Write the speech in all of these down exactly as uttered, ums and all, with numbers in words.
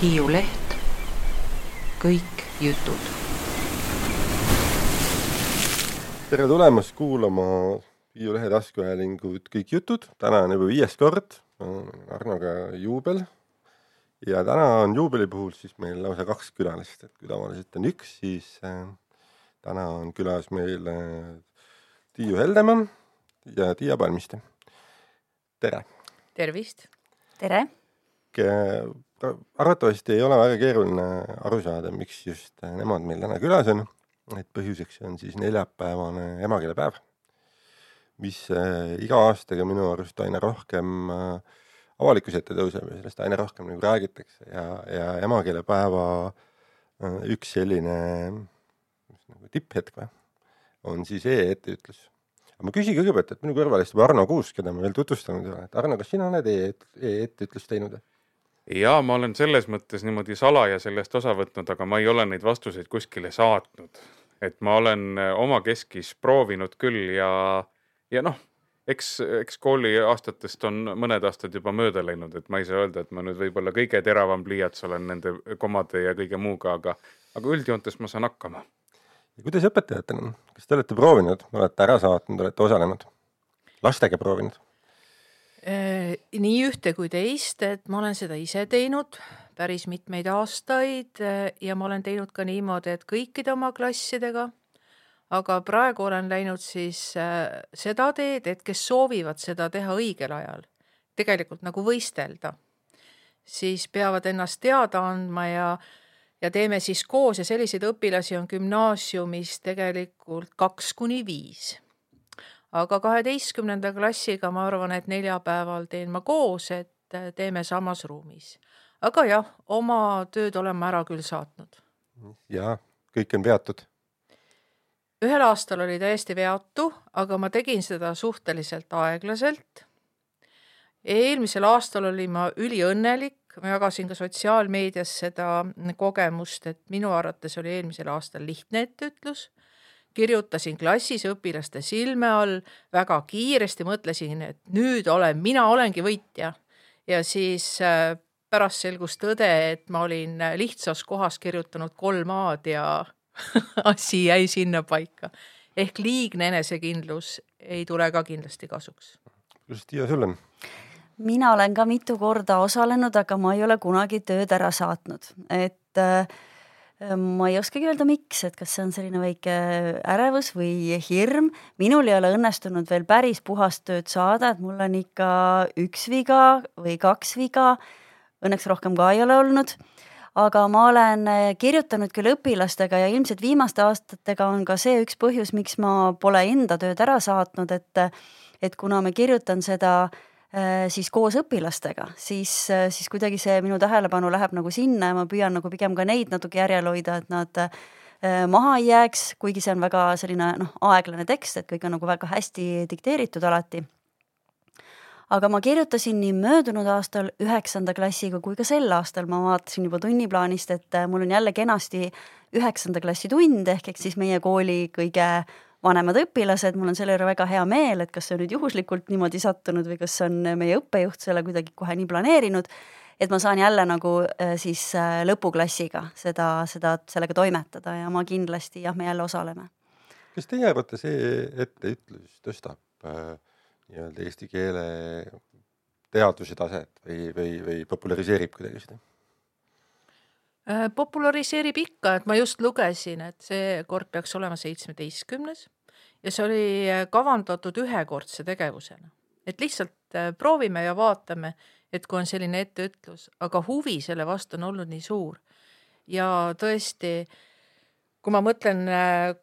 Hiiu Leht, kõik jutud. Tere tulemast kuulama Hiiu Lehe taskuhäälingut Kõik jutud. Täna on juba viies kord, on Arnoga juubel. Ja täna on juubeli puhul siis meil lausa kaks külalist. Et kui tavaliselt on üks, siis äh, täna on külas meil äh, Tiiu Heldemaa ja Tiia Palmiste. Tere! Tervist! Tere! Arvatavasti ei ole väga keeruline aru saada, miks just nemad meil täna külas on. Et põhjuseks on siis neljapäevane emakeelepäev, mis äh, iga aastaga minu arust aina rohkem äh, avalikkuse ette tõuseb ja sellest aina rohkem nagu räägitakse. Ja, ja emakeelepäeva äh, üks selline nagu tipphetk või, on siis e-etteütlus. Aga ma küsin kõigepealt, et minu kõrval istub Arno Kuus, keda ma veel tutvustanud ei ole. Et Arno, kas sina oled e-etteütlust teinud? Jaa, ma olen selles mõttes niimoodi salaja sellest osa võtnud, aga ma ei ole neid vastuseid kuskile saatnud. Et ma olen oma keskis proovinud küll ja, ja noh, eks, eks kooli aastatest on mõned aastad juba mööda läinud, et ma ei saa öelda, et ma nüüd võib-olla kõige teravam pliiats olen nende komade ja kõige muuga, aga, aga üldjoontes ma saan hakkama. Ja kuidas õpetajatena? Kas te olete proovinud? Olete ära saatnud, olete osalenud? Lastega proovinud? Nii ühte kui teist, et ma olen seda ise teinud päris mitmeid aastaid ja ma olen teinud ka niimoodi, et kõikide oma klassidega, aga praegu olen läinud siis seda teed, et kes soovivad seda teha õigel ajal, tegelikult nagu võistelda, siis peavad ennast teada andma ja, ja teeme siis koos ja selliseid õpilasi on gümnaasiumis tegelikult kaks kuni viis. Aga kaheteistkümnenda klassiga ma arvan, et neljapäeval teen ma koos, et teeme samas ruumis. Aga jah, oma tööd olen ma ära küll saatnud. Ja, kõik on veatud. Ühel aastal oli täiesti veatu, aga ma tegin seda suhteliselt aeglaselt. Eelmisel aastal oli ma üliõnnelik. Ma jagasin ka sotsiaalmeedias seda kogemust, et minu arvates oli eelmisel aastal lihtne etteütlus. Kirjutasin klassis õpilaste silme all, väga kiiresti mõtlesin, et nüüd olen, mina olengi võitja. Ja siis pärast selgus tõde, et ma olin lihtsas kohas kirjutanud kolm aad ja asi jäi sinna paika. Ehk liigne enesekindlus ei tule ka kindlasti kasuks. Kuidas Tiia sul on? Mina olen ka mitu korda osalenud, aga ma ei ole kunagi tööd ära saatnud. Et ma ei oskagi öelda miks, et kas see on selline väike ärevus või hirm. Minul ei ole õnnestunud veel päris puhast tööd saada, et mul on ikka üks viga või kaks viga. Õnneks rohkem ka ei ole olnud. Aga ma olen kirjutanud küll õpilastega ja ilmselt viimaste aastatega on ka see üks põhjus, miks ma pole enda tööd ära saatnud, et, et kuna ma kirjutan seda siis koos õpilastega, siis, siis kuidagi see minu tähelepanu läheb nagu sinna ja ma püüan nagu pigem ka neid natuke järjel hoida, et nad maha ei jääks, kuigi see on väga selline noh, aeglane tekst, et kõik on nagu väga hästi dikteeritud alati. Aga ma kirjutasin nii möödunud aastal üheksanda klassiga kui ka sel aastal ma vaatasin juba tunniplaanist, et mul on jälle kenasti üheksanda klassi tund, ehk eks siis meie kooli kõige vanemad õpilased, mul on selle juurde väga hea meel, et kas see on nüüd juhuslikult niimoodi sattunud või kas on meie õppejuht selle kuidagi kohe nii planeerinud, et ma saan jälle nagu siis lõpuklassiga seda, seda, sellega toimetada ja ma kindlasti, jah, me jälle osaleme. Kas teie arvate see etteütlus tõstab äh, nii-öelda eesti keele teadvuse taset või, või, või populariseerib kuidagi seda? Populariseerib ikka, et ma just lugesin, et see kord peaks olema seitsmeteistkümnes ja see oli kavandatud ühekordse tegevusena. Et lihtsalt proovime ja vaatame, et kui on selline etteütlus, aga huvi selle vastu on olnud nii suur. Ja tõesti, kui ma mõtlen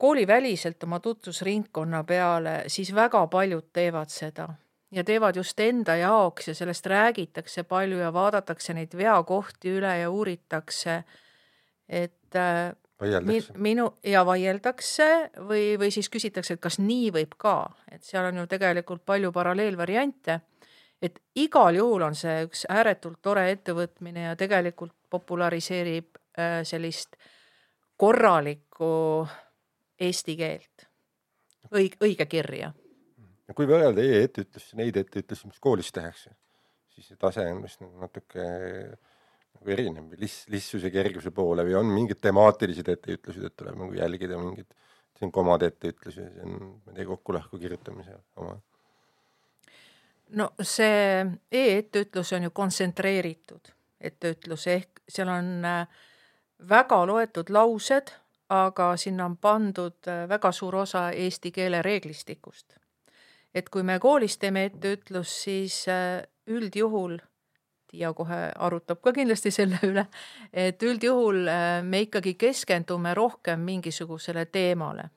kooliväliselt oma tutvusringkonna peale, siis väga paljud teevad seda. Ja teevad just enda jaoks ja sellest räägitakse palju ja vaadatakse neid veakohti üle ja uuritakse, et vaieldakse. Minu, ja vaieldakse või, või siis küsitakse, et kas nii võib ka. Et seal on ju tegelikult palju paralleelvariante, et igal juhul on see üks ääretult tore ettevõtmine ja tegelikult populariseerib sellist korralikku eesti keelt, õig, õige kirja. Ja kui võrrelda e-etteütlusi, neid etteütlusi, mis koolis tehakse, siis see tase on vist natuke nagu erinev või lis, lihtsuse kerguse poole või on mingid temaatilised etteütlused, et tuleb nagu jälgida mingid, see on komade etteütlusi, see on, ma ei tea, kokku-lahku kirjutamise oma. No see e-etteütlus on ju kontsentreeritud etteütlus, ehk seal on väga loetud laused, aga sinna on pandud väga suur osa eesti keele reeglistikust. Et kui me koolis teeme etteütlus, siis üldjuhul, ja kohe arutab ka kindlasti selle üle, et üldjuhul me ikkagi keskendume rohkem mingisugusele teemale.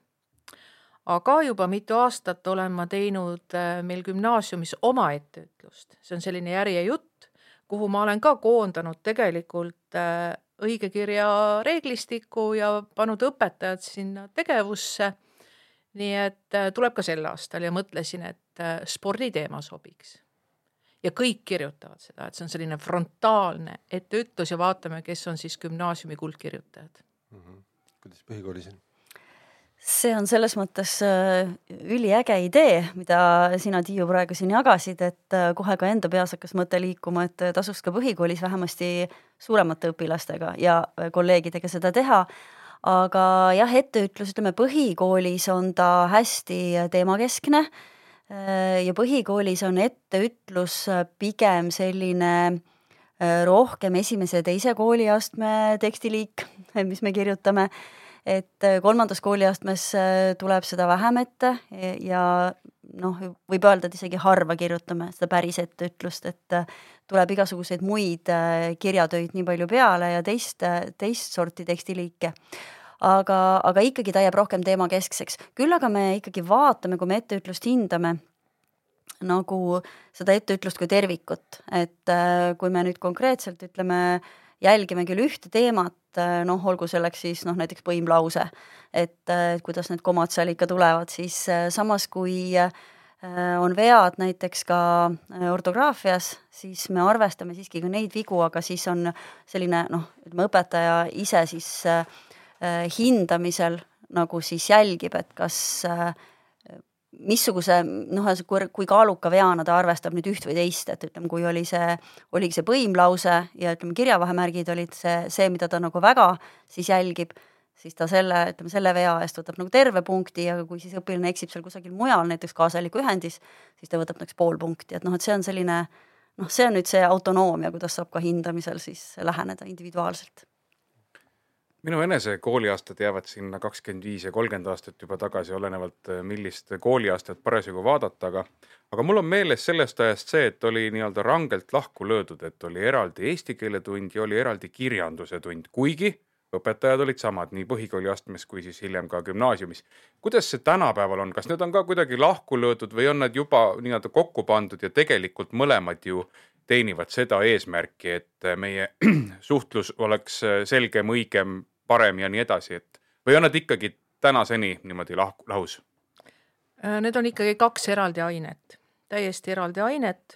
Aga juba mitu aastat olen ma teinud meil gümnaasiumis oma etteütlust. See on selline järjejutt, kuhu ma olen ka koondanud tegelikult õigekirja reeglistiku ja pannud õpetajad sinna tegevusse. Nii et tuleb ka sel aastal ja mõtlesin, et sporditeema sobiks. Ja kõik kirjutavad seda, et see on selline frontaalne etteütlus ja vaatame, kes on siis gümnaasiumi kuldkirjutajad. Mm-hmm. Kuidas põhikoolis on? See on selles mõttes üliäge idee, mida sina, Tiiu, praegu siin jagasid, et kohe ka enda peas hakkas mõte liikuma, et tasuks ka põhikoolis vähemasti suuremate õpilastega ja kolleegidega seda teha. Aga jah, etteütlus, ütleme, põhikoolis on ta hästi teemakeskne ja põhikoolis on etteütlus pigem selline rohkem esimese ja teise kooliastme tekstiliik, mis me kirjutame, et kolmandas kooliastmes tuleb seda vähem ette ja noh, võib öelda, et isegi harva kirjutame seda päris etteütlust, et tuleb igasuguseid muid kirjatöid nii palju peale ja teist, teist sorti tekstiliike. Aga, aga ikkagi ta jääb rohkem teema keskseks. Küll aga me ikkagi vaatame, kui me etteütlust hindame, nagu seda etteütlust kui tervikut. Et kui me nüüd konkreetselt ütleme, jälgime küll ühte teemat, noh, olgu selleks siis noh, näiteks põimlause, et, et kuidas need komad seal ikka tulevad, siis samas kui on vead näiteks ka ortograafias, siis me arvestame siiski ka neid vigu, aga siis on selline, noh, ütleme, õpetaja ise siis hindamisel nagu siis jälgib, et kas missuguse, noh, kui kaaluka veana ta arvestab nüüd üht või teist, et ütleme, kui oli see, oligi see põimlause ja ütleme, kirjavahemärgid olid see, see, mida ta nagu väga siis jälgib, siis ta selle, ütleme, selle vea eest võtab nagu terve punkti ja kui siis õpilane eksib seal kusagil mujal, näiteks kaasaliku ühendis, siis ta võtab näiteks pool punkti, et noh, et see on selline, noh, see on nüüd see autonoomia, kuidas saab ka hindamisel siis läheneda individuaalselt. Minu enese kooliaastad jäävad sinna kakskümmend viis ja kolmkümmend aastat juba tagasi, olenevalt millist kooliaastat parasjagu vaadata, aga, aga mul on meeles sellest ajast see, et oli nii-öelda rangelt lahku löödud, et oli eraldi eesti keele tund ja oli eraldi kirjanduse tund, kuigi õpetajad olid samad nii põhikooliastmes kui siis hiljem ka gümnaasiumis. Kuidas see tänapäeval on? Kas need on ka kuidagi lahku löödud või on nad juba nii-öelda kokku pandud ja tegelikult mõlemad ju teenivad seda eesmärki, et meie suhtlus oleks selgem, õigem, parem ja nii edasi, et või on nad ikkagi tänaseni niimoodi lahku, lahus? Need on ikkagi kaks eraldi ainet, täiesti eraldi ainet,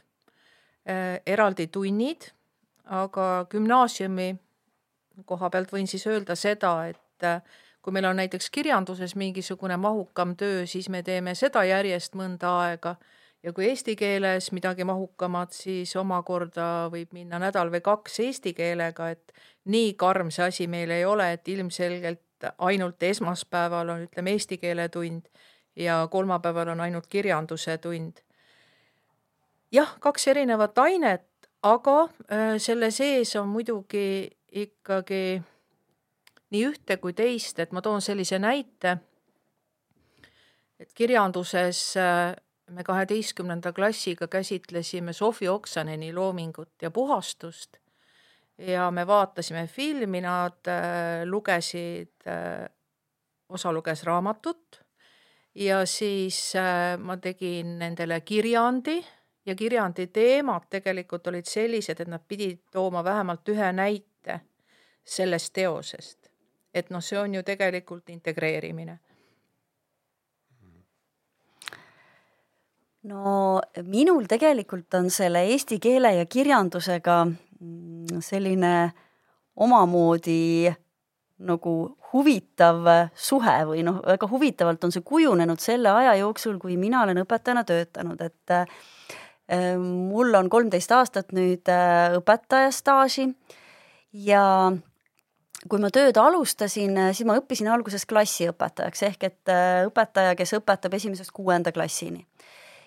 eraldi tunnid, aga gümnaasiumi koha pealt võin siis öelda seda, et kui meil on näiteks kirjanduses mingisugune mahukam töö, siis me teeme seda järjest mõnda aega ja kui eesti keeles midagi mahukamad, siis omakorda võib minna nädal või kaks eesti keelega, et nii karm see asi meil ei ole, et ilmselgelt ainult esmaspäeval on, ütleme, eesti keele tund ja kolmapäeval on ainult kirjanduse tund. Jah, kaks erinevat ainet, aga selle sees on muidugi ikkagi nii ühte kui teist, et ma toon sellise näite, et kirjanduses me kaheteistkümnenda klassiga käsitlesime Sofi Oksaneni loomingut ja puhastust ja me vaatasime filmi, nad lugesid, osa luges raamatut ja siis ma tegin nendele kirjandi ja kirjandi teemad tegelikult olid sellised, et nad pidid tooma vähemalt ühe näite sellest teosest. Et noh, see on ju tegelikult integreerimine. No minul tegelikult on selle eesti keele ja kirjandusega selline omamoodi nagu huvitav suhe või noh, väga huvitavalt on see kujunenud selle aja jooksul, kui mina olen õpetajana töötanud, et äh, mul on kolmteist aastat nüüd äh, õpetaja staaži ja kui ma tööd alustasin, siis ma õppisin alguses klassiõpetajaks ehk et õpetaja, kes õpetab esimesest kuuenda klassini.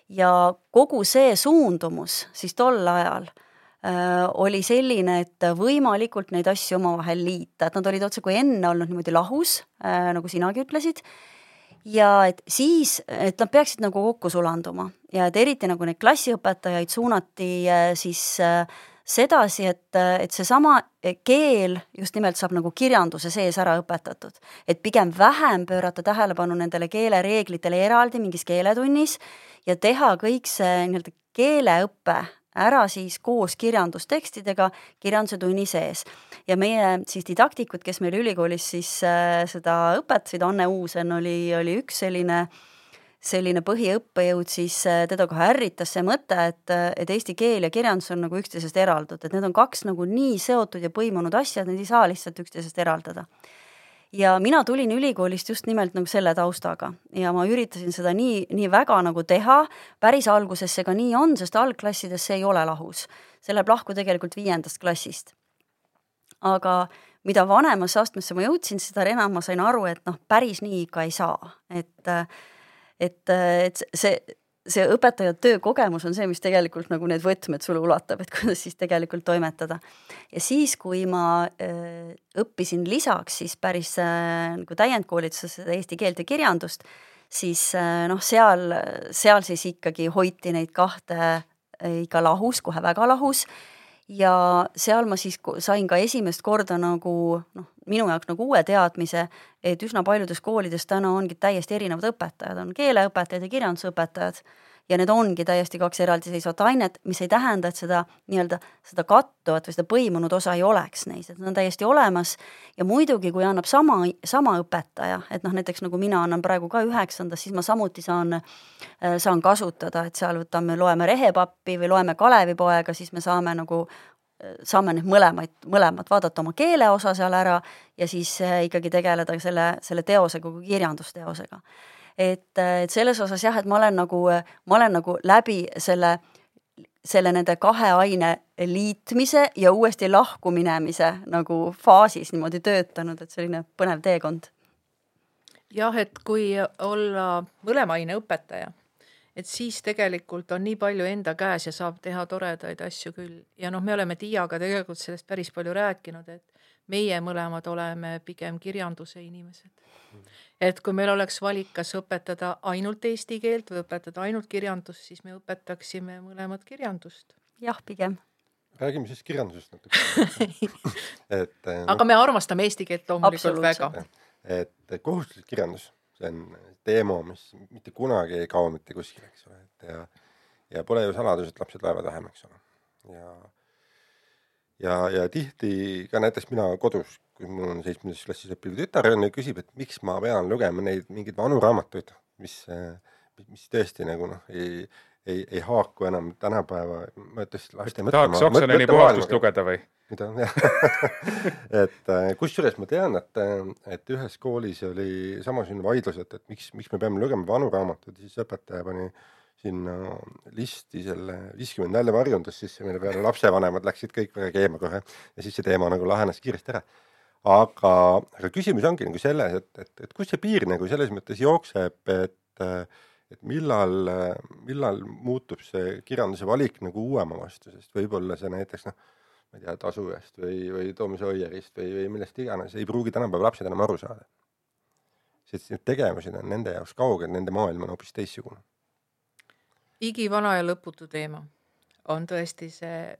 Ja kogu see suundumus siis tol ajal äh, oli selline, et võimalikult neid asju omavahel liita, et nad olid otse kui enne olnud niimoodi lahus, äh, nagu sinagi ütlesid, ja et siis, et nad peaksid nagu kokku sulanduma ja et eriti nagu neid klassiõpetajaid suunati äh, siis äh, sedasi, et, et seesama keel just nimelt saab nagu kirjanduse sees ära õpetatud. Et pigem vähem pöörata tähelepanu nendele keelereeglitele eraldi mingis keeletunnis ja teha kõik see nii-öelda keeleõppe ära siis koos kirjandustekstidega kirjanduse tunni sees. Ja meie siis didaktikud, kes meil ülikoolis siis äh, seda õpetasid, Anne Uusen oli, oli üks selline selline põhiõppejõud, siis teda kohe ärritas see mõte, et, et eesti keel ja kirjandus on nagu üksteisest eraldud, et need on kaks nagu nii seotud ja põimunud asjad, need ei saa lihtsalt üksteisest eraldada. Ja mina tulin ülikoolist just nimelt nagu selle taustaga ja ma üritasin seda nii, nii väga nagu teha, päris alguses see ka nii on, sest algklassides see ei ole lahus. See läheb lahku tegelikult viiendast klassist. Aga mida vanemasse astmesse ma jõudsin, seda enam ma sain aru, et noh, päris nii ikka ei saa, et et, et see, see õpetaja töökogemus on see, mis tegelikult nagu need võtmed sulle ulatab, et kuidas siis tegelikult toimetada. Ja siis, kui ma äh, õppisin lisaks siis päris äh, nagu täiendkoolituses seda eesti keelt ja kirjandust, siis äh, noh, seal, seal siis ikkagi hoiti neid kahte äh, ikka lahus, kohe väga lahus. Ja seal ma siis sain ka esimest korda nagu noh, minu jaoks nagu uue teadmise, et üsna paljudes koolides täna ongi täiesti erinevad õpetajad, on keeleõpetajad ja kirjandusõpetajad ja need ongi täiesti kaks eraldiseisvat ainet, mis ei tähenda, et seda nii-öelda seda kattuvat või seda põimunud osa ei oleks neis, et nad on täiesti olemas ja muidugi, kui annab sama, sama õpetaja, et noh, näiteks nagu mina annan praegu ka üheksandas, siis ma samuti saan, saan kasutada, et seal võtame, loeme Rehepappi või loeme Kalevipoega, siis me saame nagu saame need mõlemaid, mõlemad vaadata oma keele osa seal ära ja siis ikkagi tegeleda selle, selle teosega kui kirjandusteosega. Et, et selles osas jah, et ma olen nagu, ma olen nagu läbi selle, selle nende kahe aine liitmise ja uuesti lahku minemise nagu faasis niimoodi töötanud, et selline põnev teekond. Jah, et kui olla mõlema aine õpetaja, et siis tegelikult on nii palju enda käes ja saab teha toredaid asju küll. Ja noh, me oleme Tiiaga tegelikult sellest päris palju rääkinud, et meie mõlemad oleme pigem kirjanduse inimesed. Et kui meil oleks valik, kas õpetada ainult eesti keelt või õpetada ainult kirjandust, siis me õpetaksime mõlemad kirjandust. Jah, pigem. Räägime siis kirjandusest natuke. et, no, aga me armastame eesti keelt loomulikult väga. Et kohustuslik kirjandus, see on teema, mis mitte kunagi ei kao mitte kuskil, eks ole. Et ja, ja pole ju saladus, et lapsed loevad vähem, eks ole. Ja, ja, ja tihti ka näiteks mina kodus, kui mul on seitsmendas klassis õppiv tütar ja küsib, et miks ma pean lugema neid mingeid vanu raamatuid, mis, mis tõesti nagu noh, ei, ei, ei haaku enam tänapäeva. Ma tõesti laste mõtlema. Tahaks Oksoneni puhastust lugeda või? Mida? et kusjuures ma tean, et, et ühes koolis oli samasugune vaidlus, et, et miks, miks me peame lugema vanu raamatud, siis õpetaja pani sinna listi selle viiskümmend nälja varjundus, siis meile peale lapsevanemad läksid kõik väga keema kohe ja siis see teema nagu lahenes kiiresti ära. Aga, aga küsimus ongi nagu selles, et, et, et kus see piir nagu selles mõttes jookseb, et, et millal, millal muutub see kirjanduse valik nagu uuema vastu, sest võib-olla see näiteks noh, ma ei tea, Tasujast või, või Toomas Oierist või, või millest iganes, ei pruugi tänapäeva lapsed enam aru saada. Sest need tegevused on nende jaoks kauged, nende maailm on hoopis teissugune. Igivana ja lõputu teema on tõesti see,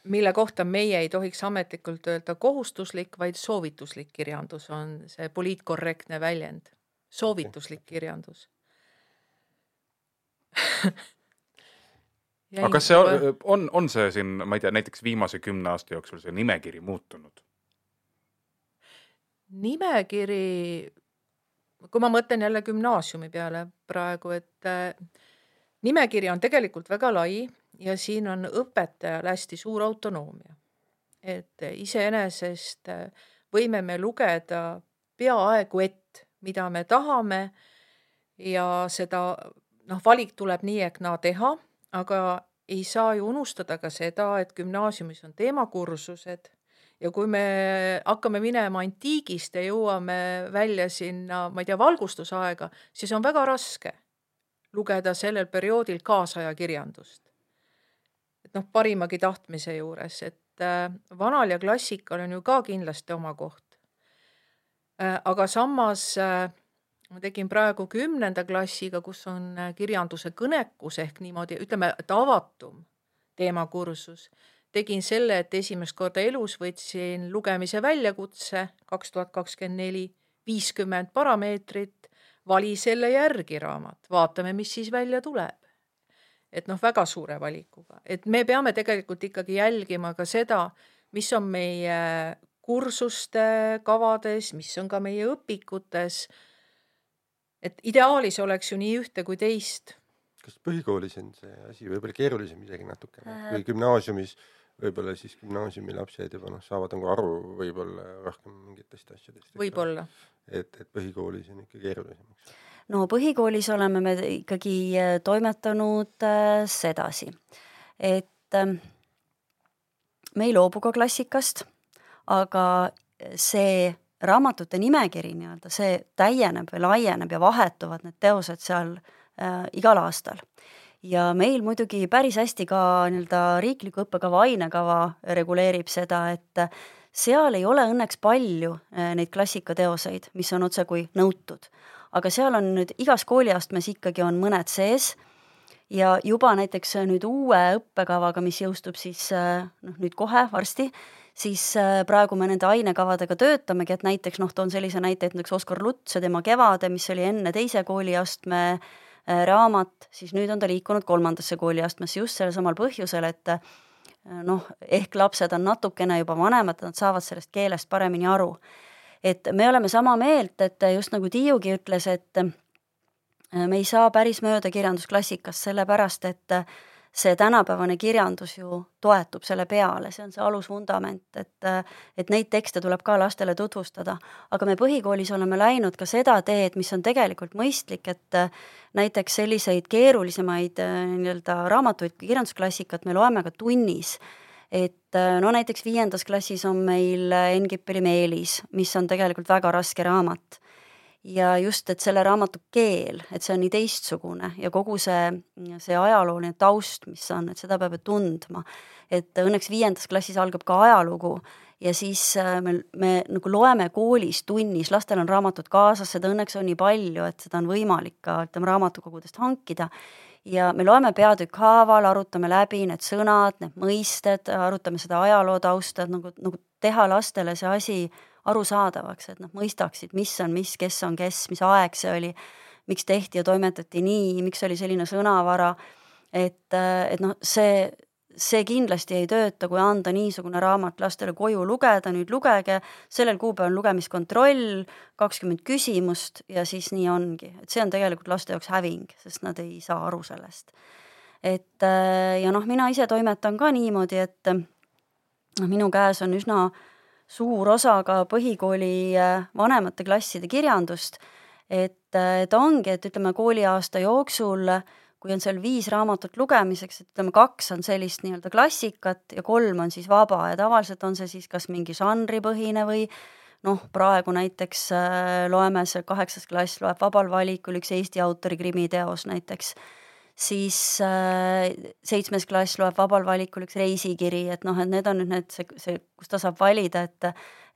mille kohta meie ei tohiks ametlikult öelda kohustuslik, vaid soovituslik kirjandus on see poliitkorrektne väljend. Soovituslik kirjandus. Aga kas see on, on, on see siin, ma ei tea, näiteks viimase kümne aasta jooksul see nimekiri muutunud? Nimekiri, kui ma mõtlen jälle gümnaasiumi peale praegu, et nimekiri on tegelikult väga lai ja siin on õpetajal hästi suur autonoomia. Et iseenesest võime me lugeda peaaegu et, mida me tahame ja seda noh, valik tuleb nii ehk naa teha, aga ei saa ju unustada ka seda, et gümnaasiumis on teemakursused ja kui me hakkame minema antiigist ja jõuame välja sinna, ma ei tea, valgustusaega, siis on väga raske lugeda sellel perioodil kaasaja kirjandust. Et noh, parimagi tahtmise juures, et äh, vanal ja klassikal on ju ka kindlasti oma koht. Äh, aga samas äh, ma tegin praegu kümnenda klassiga, kus on äh, kirjanduse kõnekus ehk niimoodi, ütleme, et avatum teemakursus. Tegin selle, et esimest korda elus võtsin lugemise väljakutse kaks tuhat kakskümmend neli, viiskümmend parameetrit, vali selle järgi raamat, vaatame, mis siis välja tuleb. Et noh, väga suure valikuga. Et me peame tegelikult ikkagi jälgima ka seda, mis on meie kursuste kavades, mis on ka meie õpikutes. Et ideaalis oleks ju nii ühte kui teist. Kas põhikoolis on see asi võib-olla keerulisem isegi natuke? Või gümnaasiumis võib-olla siis gümnaasiumi lapsed juba noh, saavad nagu aru võib-olla rohkem mingitest asjadest. Võib-olla. Et, et põhikoolis on ikka keerulisem. No põhikoolis oleme me ikkagi toimetanud äh, sedasi, et äh, me ei loobu ka klassikast, aga see raamatute nimekiri nii-öelda, see täieneb või laieneb ja vahetuvad need teosed seal äh, igal aastal. Ja meil muidugi päris hästi ka nii-öelda riikliku õppekava ainekava reguleerib seda, et seal ei ole õnneks palju neid klassikateoseid, mis on otse kui nõutud. Aga seal on nüüd igas kooliastmes ikkagi on mõned sees ja juba näiteks nüüd uue õppekavaga, mis jõustub siis noh, nüüd kohe varsti, siis praegu me nende ainekavadega töötamegi, et näiteks noh, toon sellise näite, et näiteks Oskar Luts ja tema Kevade, mis oli enne teise kooliastme raamat, siis nüüd on ta liikunud kolmandasse kooliastmesse just selle samal põhjusel, et noh, ehk lapsed on natukene juba vanemad, nad saavad sellest keelest paremini aru. Et me oleme sama meelt, et just nagu Tiiugi ütles, et me ei saa päris mööda kirjandusklassikast, sellepärast, et see tänapäevane kirjandus ju toetub selle peale, see on see alusvundament, et, et neid tekste tuleb ka lastele tutvustada. Aga me põhikoolis oleme läinud ka seda teed, mis on tegelikult mõistlik, et näiteks selliseid keerulisemaid nii-öelda raamatuid kui kirjandusklassikat me loeme ka tunnis. Et no näiteks viiendas klassis on meil Engippeli Meelis, mis on tegelikult väga raske raamat. Ja just, et selle raamatu keel, et see on nii teistsugune ja kogu see, see ajalooline taust, mis on, et seda peab tundma. Et õnneks viiendas klassis algab ka ajalugu ja siis me, me nagu loeme koolis tunnis, lastel on raamatud kaasas, seda õnneks on nii palju, et seda on võimalik ka ütleme, raamatukogudest hankida. Ja me loeme peatükk haaval, arutame läbi need sõnad, need mõisted, arutame seda ajaloo tausta, nagu, nagu teha lastele see asi arusaadavaks, et nad mõistaksid, mis on mis, kes on kes, mis aeg see oli, miks tehti ja toimetati nii, miks oli selline sõnavara, et, et noh, see, see kindlasti ei tööta, kui anda niisugune raamat lastele koju lugeda, nüüd lugege, sellel kuupäeval lugemiskontroll, kakskümmend küsimust ja siis nii ongi. Et see on tegelikult laste jaoks häving, sest nad ei saa aru sellest. Et ja noh, mina ise toimetan ka niimoodi, et noh, minu käes on üsna suur osa ka põhikooli vanemate klasside kirjandust, et, et ongi, et ütleme kooliaasta jooksul, kui on seal viis raamatut lugemiseks, et ütleme kaks on sellist nii-öelda klassikat ja kolm on siis vaba ja tavaliselt on see siis kas mingi žanripõhine või noh, praegu näiteks loeme see kaheksas klass loeb vabal valikul üks Eesti autori krimiteos näiteks, siis seitsmes klass loeb vabal valikul üks reisikiri, et noh, et need on nüüd need, see, see, kus ta saab valida, et,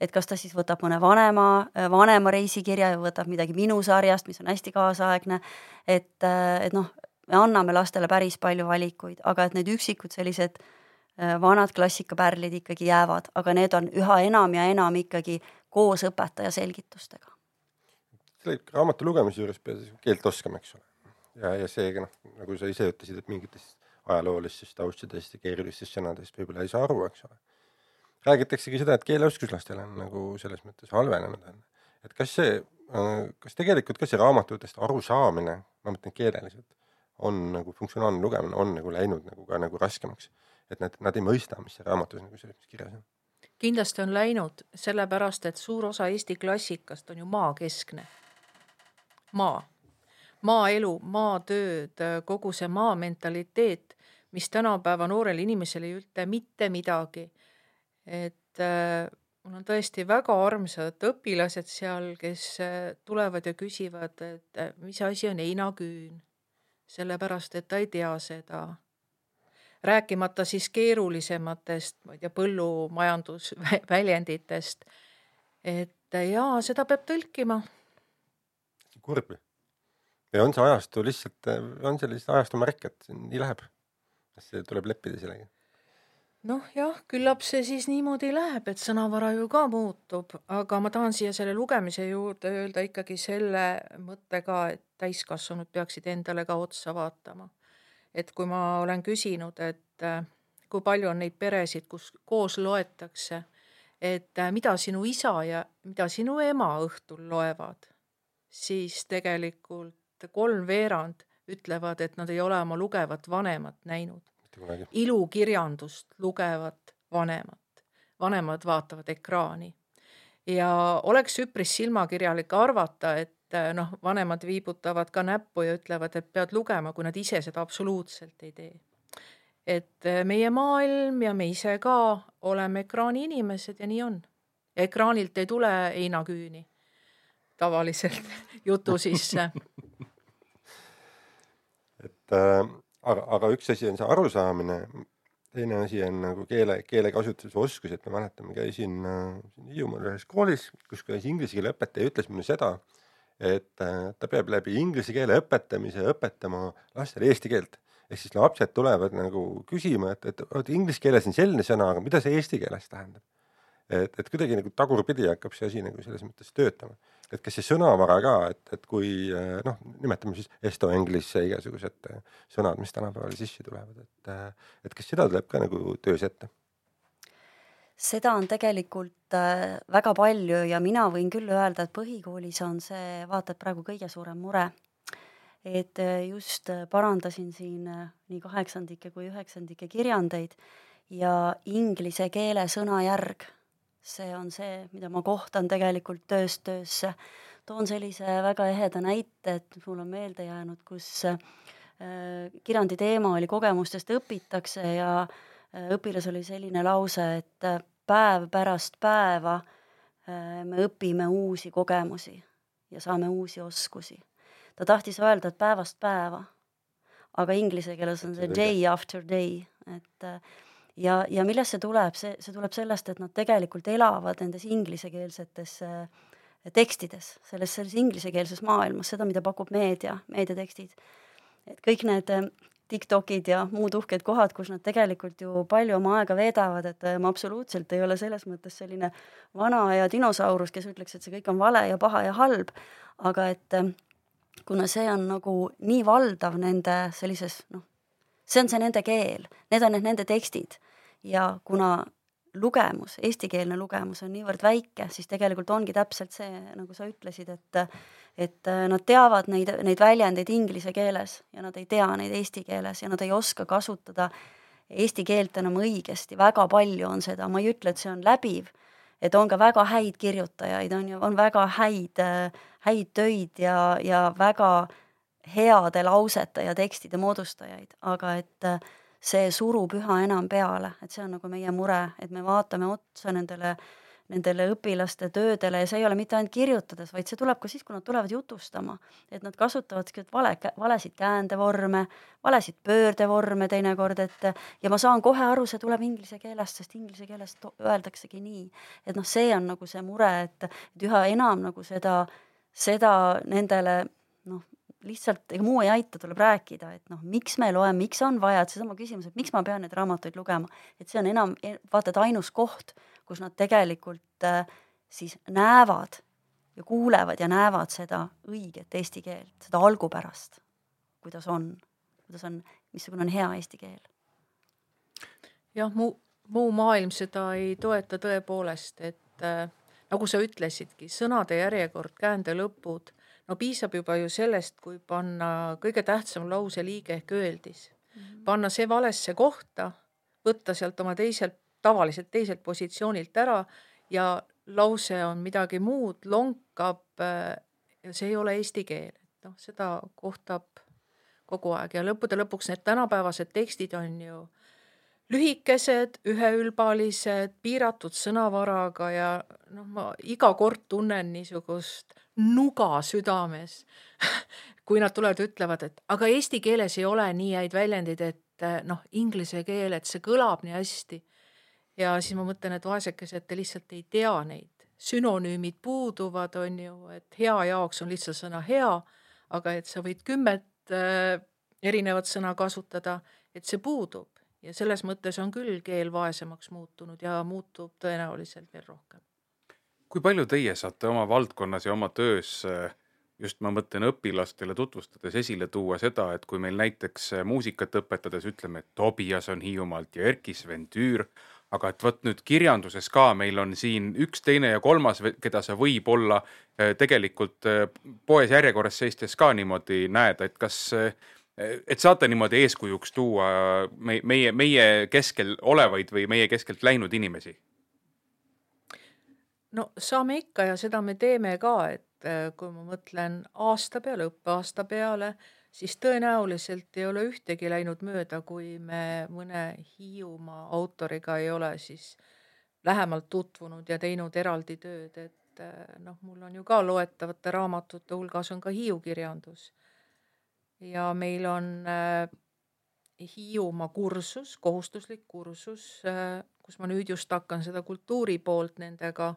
et kas ta siis võtab mõne vanema, vanema reisikirja ja võtab midagi minu sarjast, mis on hästi kaasaegne, et, et noh, me anname lastele päris palju valikuid, aga et need üksikud sellised vanad klassikapärlid ikkagi jäävad, aga need on üha enam ja enam ikkagi koos õpetaja selgitustega. Selle raamatu lugemise juures pead keelt oskama, eks ole. Ja, ja seega, noh, nagu sa ise ütlesid, et mingitest ajaloolistest taustadest ja keerulistest sõnadest võib-olla ei saa aru, eks ole. Räägitaksegi seda, et keeleoskus lastel on nagu selles mõttes halvenenud. Et kas see, kas tegelikult ka see raamatutest aru saamine, ma mõtlen keeleliselt, on nagu funktsionaalne lugemine, on nagu läinud nagu ka nagu raskemaks. Et nad, nad ei mõista, mis see raamatus nagu selles kirjas on. Kindlasti on läinud sellepärast, et suur osa Eesti klassikast on ju maakeskne. Maa. Maaelu, maatööd, kogu see maa mentaliteet, mis tänapäeva noorel inimesel ei ütle mitte midagi. Et äh, mul on tõesti väga armsad õpilased seal, kes äh, tulevad ja küsivad, et äh, mis asi on heinaküün, sellepärast, et ta ei tea seda. Rääkimata siis keerulisematest, ma ei tea, põllumajandusväljenditest, et äh, jaa, seda peab tõlkima. Kurb. Ja on see ajastu lihtsalt, on see lihtsalt ajastu märk, et nii läheb. See tuleb leppida sellega. Noh jah, küllap see siis niimoodi läheb, et sõnavara ju ka muutub, aga ma tahan siia selle lugemise juurde öelda ikkagi selle mõttega, et täiskasvanud peaksid endale ka otsa vaatama. Et kui ma olen küsinud, et kui palju on neid peresid, kus koos loetakse, et mida sinu isa ja mida sinu ema õhtul loevad, siis tegelikult kolm veerand ütlevad, et nad ei ole oma lugevat vanemat näinud. Ilukirjandust lugevat vanemat. Vanemad vaatavad ekraani. Ja oleks üpris silmakirjalik arvata, et noh, vanemad viibutavad ka näppu ja ütlevad, et pead lugema, kui nad ise seda absoluutselt ei tee. Et meie maailm ja me ise ka oleme ekraani inimesed ja nii on. Ekraanilt ei tule heinaküüni tavaliselt jutu sisse. et äh, aga, aga üks asi on see arusaamine, teine asi on nagu keele, keelekasutuse oskus, et ma mäletan, ma käisin äh, Hiiumaal ühes koolis, kus käis inglise keele õpetaja, ütles mulle seda, et äh, ta peab läbi inglise keele õpetamise õpetama lastele eesti keelt. Ehk siis lapsed tulevad nagu küsima, et, et, et inglise keeles on selline sõna, aga mida see eesti keeles tähendab? Et, et kuidagi nagu tagurpidi hakkab see asi nagu selles mõttes töötama. Et kas see sõnavara ka, et, et kui noh, nimetame siis esto englisse igasugused sõnad, mis tänapäeval sisse tulevad, et, et kas seda tuleb ka nagu töös ette? Seda on tegelikult väga palju ja mina võin küll öelda, et põhikoolis on see vaata, et praegu kõige suurem mure. Et just parandasin siin nii kaheksandike kui üheksandike kirjandeid ja inglise keele sõnajärg, see on see, mida ma kohtan tegelikult tööst töösse. Toon sellise väga eheda näite, et mul on meelde jäänud, kus kirjandi teema oli kogemustest õpitakse ja õpilas oli selline lause, et päev pärast päeva me õpime uusi kogemusi ja saame uusi oskusi. Ta tahtis öelda, et päevast päeva, aga inglise keeles on see day after day. Et, ja, ja millest see tuleb? See, see tuleb sellest, et nad tegelikult elavad nendes inglisekeelsetes tekstides, selles, selles inglisekeelses maailmas, seda, mida pakub meedia, meediatekstid. Et kõik need TikTokid ja muud uhked kohad, kus nad tegelikult ju palju oma aega veedavad, et ma absoluutselt ei ole selles mõttes selline vana ja dinosaurus, kes ütleks, et see kõik on vale ja paha ja halb, aga et kuna see on nagu nii valdav nende sellises, noh, see on see nende keel, need on need nende tekstid ja kuna lugemus, eestikeelne lugemus on niivõrd väike, siis tegelikult ongi täpselt see, nagu sa ütlesid, et, et nad teavad neid, neid väljendeid inglise keeles ja nad ei tea neid eesti keeles ja nad ei oska kasutada eesti keelt enam õigesti, väga palju on seda, ma ei ütle, et see on läbiv, et on ka väga häid kirjutajaid, on, on väga häid, häid töid ja, ja väga heade lausete ja tekstide moodustajaid, aga et see surub üha enam peale, et see on nagu meie mure, et me vaatame otsa nendele, nendele õpilaste töödele ja see ei ole mitte ainult kirjutades, vaid see tuleb ka siis, kui nad tulevad jutustama, et nad kasutavad vale, valesid käändevorme, valesid pöördevorme teinekord, et ja ma saan kohe aru, see tuleb inglise keelest, sest inglise keelest öeldaksegi nii, et noh, see on nagu see mure, et, et üha enam nagu seda, seda nendele noh, lihtsalt ega muu ei aita, tuleb rääkida, et noh, miks me loeme, miks on vaja, et seesama küsimus, et miks ma pean neid raamatuid lugema, et see on enam, vaata, et ainus koht, kus nad tegelikult äh, siis näevad ja kuulevad ja näevad seda õiget eesti keelt, seda algupärast, kuidas on, kuidas on, missugune on hea eesti keel. Jah, muu, muu maailm seda ei toeta tõepoolest, et äh, nagu sa ütlesidki, sõnade järjekord, käände lõpud, no piisab juba ju sellest, kui panna kõige tähtsam lause liige ehk öeldis. Mm-hmm. Panna see valesse kohta, võtta sealt oma teiselt, tavaliselt teiselt positsioonilt ära ja lause on midagi muud, lonkab ja see ei ole eesti keel. No, seda kohtab kogu aeg ja lõppude lõpuks need tänapäevased tekstid on ju lühikesed, üheülbalised, piiratud sõnavaraga ja noh, ma iga kord tunnen niisugust nuga südames, kui nad tulevad ja ütlevad, et aga eesti keeles ei ole nii häid väljendid, et noh, inglise keel, et see kõlab nii hästi. Ja siis ma mõtlen, et vaesekesed, te lihtsalt ei tea neid. Sünonüümid puuduvad, on ju, et hea jaoks on lihtsalt sõna hea, aga et sa võid kümmet äh, erinevat sõna kasutada, et see puudub. Ja selles mõttes on küll keel vaesemaks muutunud ja muutub tõenäoliselt veel rohkem. Kui palju teie saate oma valdkonnas ja oma töös, just ma mõtlen õpilastele tutvustades esile tuua seda, et kui meil näiteks muusikat õpetades ütleme, et Tobias on Hiiumaalt ja Erkis Ventüür, aga et võt nüüd kirjanduses ka meil on siin üks, teine ja kolmas, keda sa võib olla tegelikult poes järjekorras seistes ka niimoodi näed, et kas et saate niimoodi eeskujuks tuua meie, meie keskel olevaid või meie keskelt läinud inimesi? No saame ikka ja seda me teeme ka, et kui ma mõtlen aasta peale, õppeaasta peale, siis tõenäoliselt ei ole ühtegi läinud mööda, kui me mõne Hiiumaa autoriga ei ole siis lähemalt tutvunud ja teinud eraldi tööd, et noh, mul on ju ka loetavate raamatute hulgas on ka Hiiu kirjandus. Ja meil on äh, Hiiumaa kursus, kohustuslik kursus, äh, kus ma nüüd just hakkan seda kultuuri poolt nendega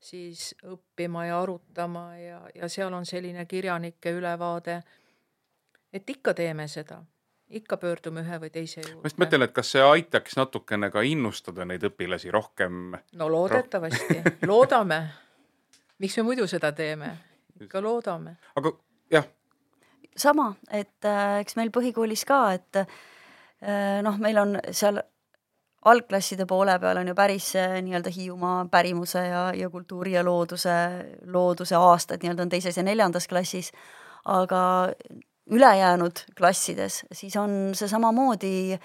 siis õppima ja arutama ja, ja seal on selline kirjanike ülevaade, et ikka teeme seda, ikka pöördume ühe või teise juurde. Ma just mõtlen, et kas see aitaks natukene ka innustada neid õpilasi rohkem? No loodetavasti, roh- loodame. Miks me muidu seda teeme? Ikka loodame. Aga jah, sama, et äh, eks meil põhikoolis ka, et äh, noh, meil on seal algklasside poole peal on ju päris äh, nii-öelda Hiiumaa pärimuse ja, ja kultuuri ja looduse, looduse aastad nii-öelda on teises ja neljandas klassis, aga ülejäänud klassides siis on see samamoodi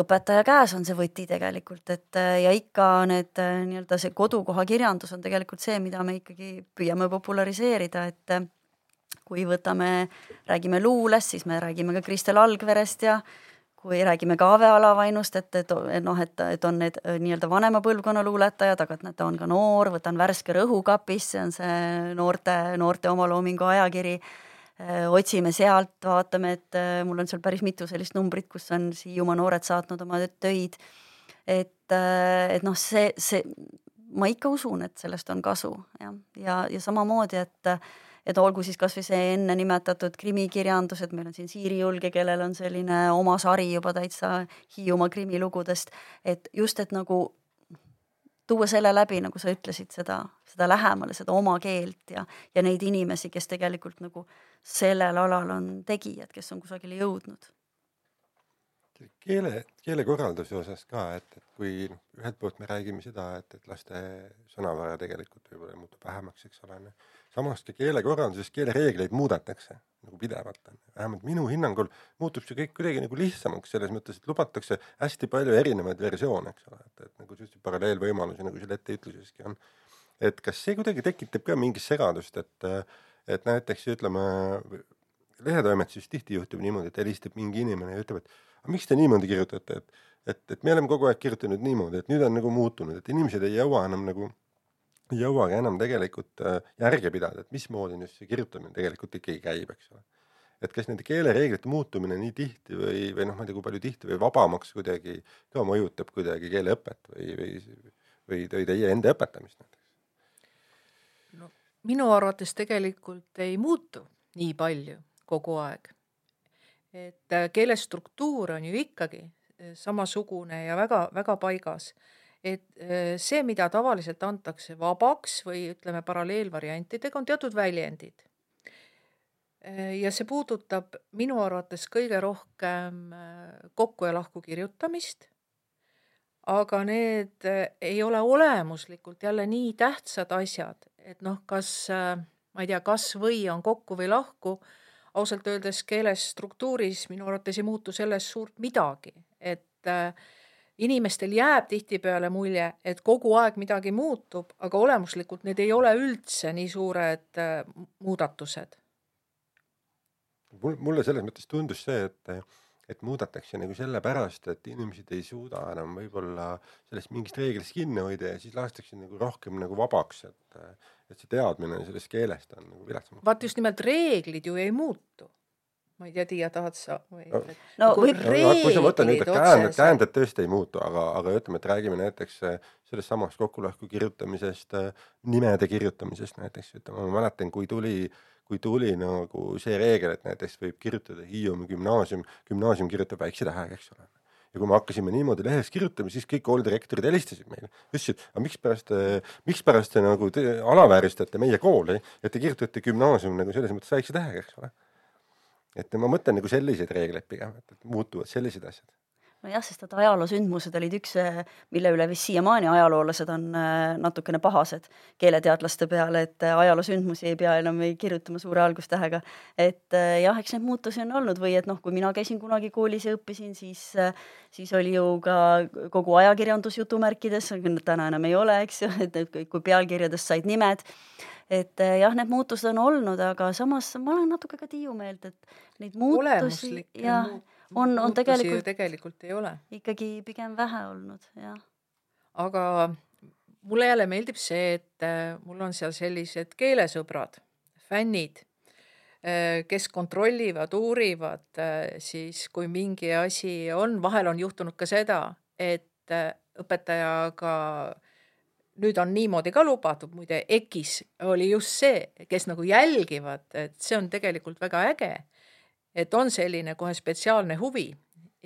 õpetaja käes on see võti tegelikult, et ja ikka need nii-öelda see kodukoha kirjandus on tegelikult see, mida me ikkagi püüame populariseerida, et kui võtame, räägime luulest, siis me räägime ka Kristel Algverest ja kui räägime ka Ave Alavainust, et, et, noh, et, et on need nii-öelda vanema põlvkonna luuletajad, aga et ta on ka noor, võtan Värske Rõhukapis, see on see noorte, noorte omaloomingu ajakiri, otsime sealt, vaatame, et mul on seal päris mitu sellist numbrit, kus on Hiiumaa noored saatnud oma töid, et, et noh, see, see, ma ikka usun, et sellest on kasu ja, ja, ja samamoodi, et et olgu siis kas või see enne nimetatud krimikirjandus, et meil on siin Siiri Julge, kellel on selline oma sari juba täitsa Hiiumaa krimilugudest, et just, et nagu tuua selle läbi, nagu sa ütlesid, seda, seda lähemale, seda oma keelt ja, ja neid inimesi, kes tegelikult nagu sellel alal on tegijad, kes on kusagile jõudnud. Keele, keelekorralduse osas ka, et, et kui ühelt poolt me räägime seda, et, et laste sõnavara tegelikult võib-olla muutub vähemaks, eks ole. Samas ka keelekorralduses keelereegleid muudetakse nagu pidevalt. Vähemalt minu hinnangul muutub see kõik kuidagi nagu lihtsamaks selles mõttes, et lubatakse hästi palju erinevaid versioone, eks ole. Et, et nagu just paralleelvõimalusi, nagu selle ette ütluseski on. Et kas see kuidagi tekitab ka mingit segadust, et, et näiteks ütleme, lehetoimetuses tihti juhtub niimoodi, et helistab mingi inimene ja ütleb, et aga miks te niimoodi kirjutate, et, et, et me oleme kogu aeg kirjutanud niimoodi, et nüüd on nagu muutunud, et inimesed ei jõua enam nagu, ei jõuagi enam tegelikult järge pidada, et mismoodi nüüd see kirjutamine tegelikult ikkagi käib, eks ole. Et kas nende keelereeglite muutumine nii tihti või, või noh, ma ei tea, kui palju tihti või vabamaks kuidagi ka mõjutab kuidagi keeleõpet või, või, või, või teie enda õpetamist näiteks? No, minu arvates tegelikult ei muutu nii palju kogu aeg. Et keelestruktuur on ju ikkagi samasugune ja väga, väga paigas. Et see, mida tavaliselt antakse vabaks või ütleme paralleelvariantidega, on teatud väljendid. Ja see puudutab minu arvates kõige rohkem kokku ja lahku kirjutamist, aga need ei ole olemuslikult jälle nii tähtsad asjad, et noh, kas, ma ei tea, kas või on kokku või lahku, ausalt öeldes keeles struktuuris minu arvates ei muutu sellest suurt midagi, et äh, inimestel jääb tihtipeale mulje, et kogu aeg midagi muutub, aga olemuslikult need ei ole üldse nii suured äh, muudatused. Mulle selles mõttes tundus see, et, et muudetakse nagu sellepärast, et inimesed ei suuda enam võib-olla sellest mingist reeglist kinni hoida ja siis lastakse nagu rohkem nagu vabaks, et, et see teadmine sellest keelest on nagu viletsamaks. Vaat just nimelt reeglid ju ei muutu. Ma ei tea, Tiia, tahad sa? Või, no, et, no, nagu võib, kui sa mõtled nüüd, et käänded, käänded tõesti ei muutu, aga, aga ütleme, et räägime näiteks sellest samast kokkulõhku kirjutamisest, nimede kirjutamisest näiteks, ütleme, ma mäletan, kui tuli, kui tuli nagu see reegel, et näiteks võib kirjutada Hiiumi gümnaasium, gümnaasium kirjutab väikse tähega, eks ole. Ja kui me hakkasime niimoodi lehes kirjutama, siis kõik koolidirektorid helistasid meile. Ütlesid, aga miks pärast, miks pärast te nagu te alavääristate meie kooli, et te kirjutate gümnaasium nagu selles mõttes väikse tähega, eks ole. Et ma mõtlen nagu selliseid reegleid pigem, et muutuvad sellised asjad. No jah, sest et ajaloosündmused olid üks, mille üle vist siiamaani ajaloolased on natukene pahased keeleteadlaste peale, et ajaloosündmusi ei pea enam ei kirjutama suure algustähega. Et jah, eks need muutusi on olnud või et noh, kui mina käisin kunagi koolis ja õppisin, siis, siis oli ju ka kogu ajakirjandus jutumärkides, täna enam ei ole, eks ju, et kui pealkirjadest said nimed. Et jah, need muutused on olnud, aga samas ma olen natuke ka Tiiu meelt, et neid muutusi ja on, on tegelikult, tegelikult ei ole. Ikkagi pigem vähe olnud, jah. Aga mulle jälle meeldib see, et mul on seal sellised keelesõbrad, fännid, kes kontrollivad, uurivad, siis kui mingi asi on, vahel on juhtunud ka seda, et õpetajaga nüüd on niimoodi ka lubatud, muide EKIS oli just see, kes nagu jälgivad, et see on tegelikult väga äge, et on selline kohe spetsiaalne huvi